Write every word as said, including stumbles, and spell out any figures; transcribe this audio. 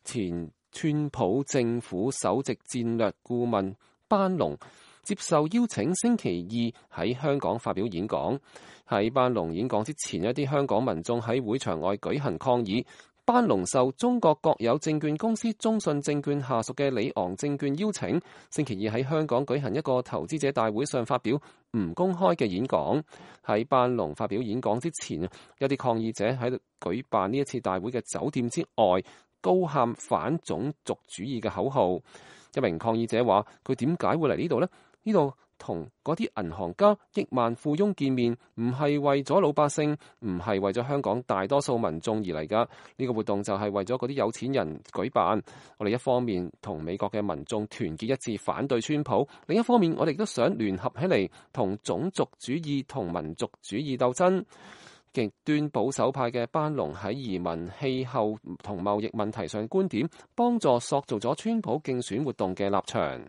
前川普政府首席戰略顧問班農接受邀請，星期二喺香港發表演講。喺班農演講之前，一啲香港民眾喺會場外舉行抗議。班農受中國國有證券公司中信證券下屬嘅里昂證券邀請，星期二喺香港舉行一個投資者大會上發表唔公開嘅演講。喺班農發表演講之前，有啲抗議者喺度舉辦呢一次大會嘅酒店之外高喊反種族主義嘅口號。一名抗議者話：佢點解會嚟呢度呢？呢度同嗰啲銀行家、億萬富翁見面，唔係為咗老百姓，唔係為咗香港大多數民眾而嚟㗎。呢個活動就係為咗嗰啲有錢人舉辦。我哋一方面同美國嘅民眾團結一致反對川普，另一方面我哋亦都想聯合起嚟同種族主義同民族主義鬥爭。極端保守派嘅班農喺移民、氣候同貿易問題上觀點，幫助塑造咗川普競選活動嘅立場。